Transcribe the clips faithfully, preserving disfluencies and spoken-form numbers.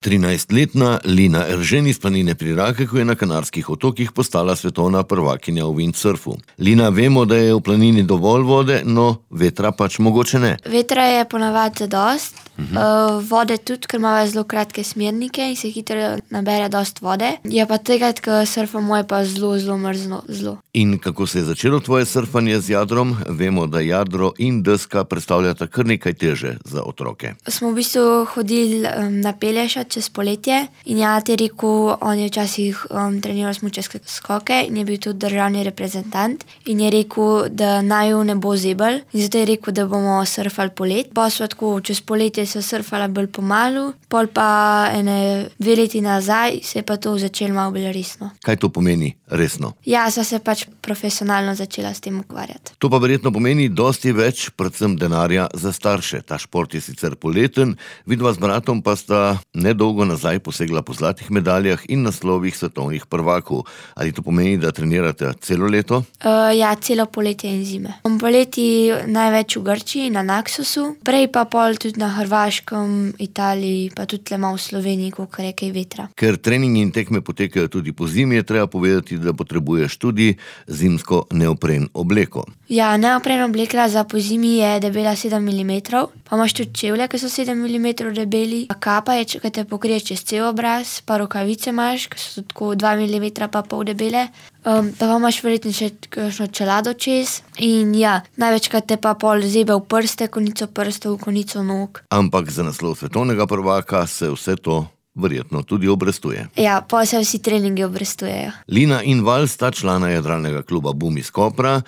trinajstletna Lina Eržen iz planine pri Rakeku je na Kanarskih otokih postala svetovna prvakinja v windsurfu. Lina, vemo, da je v planini dovolj vode, no vetra pač mogoče ne. Vetra je ponavadi zadost, uh-huh. uh, vode tudi, ker imamo zelo kratke smernike in se hitro nabere dost vode. Je pa tega, ko surfamo, je pa zelo, zelo mrzlo. Zelo. In kako se je začelo tvoje surfanje z jadrom? Vemo, da jadro in deska predstavljata kar nekaj teže za otroke. Smo v bistvu hodili um, na Pelješac čez poletje in ja, ti rekel, on je včasih um, treniral smučarske skoke in je bil tudi državni reprezentant in je rekel, da naju ne bo zebel in zato je rekel, da bomo surfali polet. Pa so tako, čez poletje so surfala bolj pomalu, pol pa ene dve leti nazaj se je pa to začelo malo bolj resno. Kaj to pomeni resno? Ja, so se pač profesionalno začela s tem ukvarjati. To pa verjetno pomeni dosti več, predvsem denarja za starše. Ta šport je sicer poleten, vidva z bratom pa sta nedolgo nazaj posegla po zlatih medaljah in naslovih svetovnih prvakov. Ali to pomeni, da trenirate celo leto? Uh, ja, celo poletje in zime. Poleti največ v Grčiji, na Naksosu, prej pa pol tudi na Hrvaškem, Italiji, pa tudi tle malo v Sloveniji, koliko je kaj vetra. Ker treningi in tekme potekajo tudi po zimi, je treba povedati, da potrebuješ tudi zimsko neopren obleko. Ja, neopren obleka za po zimi je debela sedem milimetrov, pa imaš tudi čevlje, ki so sedem milimetrov debeli, a kapa je, ki te pokrije čez cel obraz, pa rokavice imaš, ki so tako dva milimetra pa pol debele, um, pa imaš verjetno še kakšno čelado čez in ja, največkrat te pa pol zebe v prste, konico prstov, konico nog. Ampak za naslov svetovnega prvaka se vse to verjetno tudi obrestuje. Ja, pa se vsi treningi obrestujejo. Lina in Val sta člana jadralnega kluba Bum iz Kopra,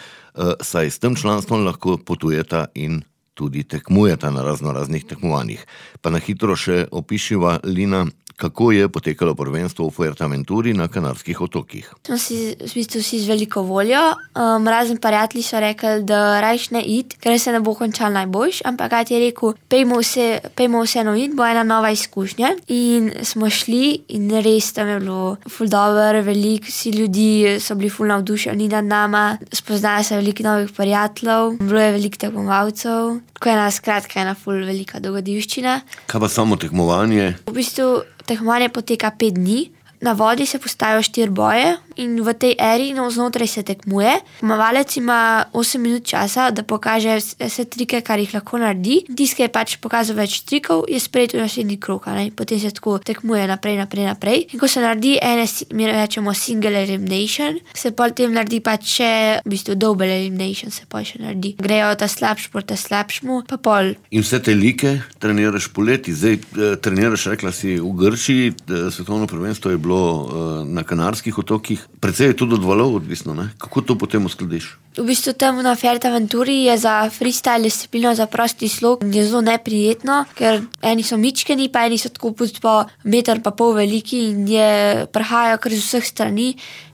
saj s tem članstvom lahko potujeta in tudi tekmujeta na razno raznih tekmovanjih. Pa na hitro še opišiva, Lina, kako je potekalo prvenstvo v Fuerteventuri na Kanarskih otokih. Smo si v bistvu vsi z veliko voljo, um, razen prijatelji so rekli, da rajš ne id, ker se ne bo končal najboljš, ampak kaj ti je rekel, pejmo, vse, pejmo vseeno id, bo ena nova izkušnja. In smo šli in res tam je bilo ful dobro, veliko si ljudi so bili ful navdušeni nad nama, spoznali se veliko novih prijateljev, bilo je veliko tekmovalcev, tako je ena skratka ena ful velika dogodivščina. Kaj pa samo tekmovanje? V bistvu tekmovanje poteka pet dni, na vodi se postavijo štiri boje in v tej eri no, znotraj se tekmuje. Pomavalec ima osem minut časa, da pokaže vse trike, kar jih lahko naredi. Tisti, ki je pač pokazal več trikov, je sprejet v naslednji krog, ne? Potem se tako tekmuje naprej, naprej, naprej. In ko se naredi ene, mi rečemo single elimination, se potem naredi pač še, v bistvu double elimination se pa še naredi. Grejo ta slabš proti slabšmu, pa pol. In vse te like treniraš poleti, zdaj eh, treniraš, rekla si, v Grčiji, eh, svetovno prvenstvo je bilo eh, na Kanarskih otokih. Precej je tudi od valov odvisno, ne? Kako to potem uskladiš? V bistvu tam na Fuerteventuri je za freestyle disciplino, za prosti slog je zelo neprijetno, ker eni so mičkeni, pa eni so tako po meter pa pol veliki in je prihajajo kar z vseh strani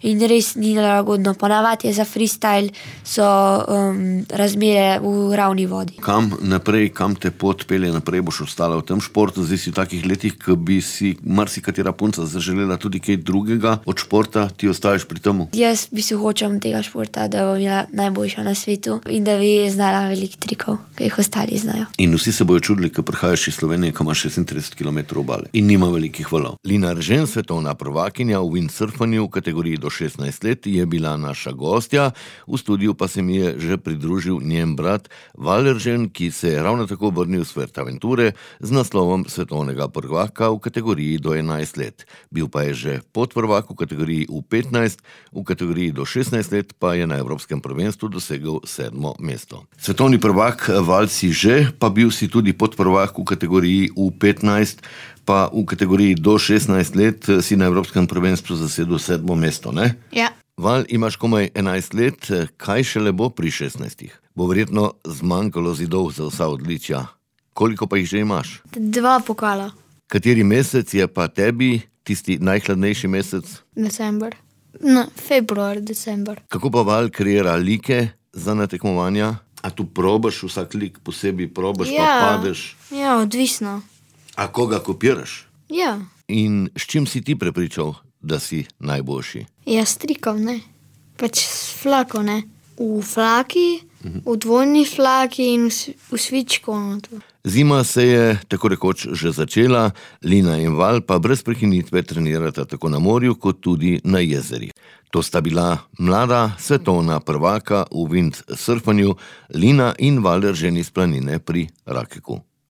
in res ni nelagodno. Ponavadi je za freestyle so um, razmere v ravni vodi. Kam naprej, kam te pot pelje naprej, boš ostala v tem športu? Zdaj si v takih letih, ko bi si marsikatera punca zaželela tudi kaj drugega od športa, ti ostaješ pri temu? Jaz bi se hočem tega športa, da bom bila najboljša na svetu in da bi znala veliko trikov, ki jih ostali znajo. In vsi se bojo čudili, ko prihajaš iz Slovenije, ko imaš šestintrideset kilometrov obale in nima velikih valov. Lina Eržen, svetovna prvakinja v windsurfanju v kategoriji do šestnajst let, je bila naša gostja. V studiu pa se mi je že pridružil njen brat Val Eržen, ki se je ravno tako vrnil z Fuerteventure z naslovom svetovnega prvaka v kategoriji do enajst let. Bil pa je že podprvak v kategoriji U petnajst, v kategoriji do šestnajst let pa je na Evropskem prvenstvu dosegel sedmo mesto. Svetovni prvak Val si že, pa bil si tudi podprvak v kategoriji U petnajst, pa v kategoriji do šestnajst let si na Evropskem prvenstvu zasedel sedmo mesto, ne? Ja. Val, imaš komaj enajst let, kaj šele bo pri šestnajstih? Bo verjetno zmanjkalo zidov za vsa odličja. Koliko pa jih že imaš? Dva pokala. Kateri mesec je pa tebi tisti najhladnejši mesec? December. No, februar, december. Kako pa Val kreira like za natekmovanja? A tu probaš vsak lik posebej, probaš ja, pa padeš? Ja, odvisno. A koga kopiraš? Ja. In s čim si ti prepričal, da si najboljši? Ja, s trikom, ne. Pač s flako, ne. V flaki, uh-huh. v dvojni flaki in v svičku. Zima se je tako rekoč že začela, Lina in Val pa brez prekinitve trenirata tako na morju kot tudi na jezerih. To sta bila mlada svetovna prvaka v windsurfanju, Lina in Val Eržen iz Planine pri Rakeku.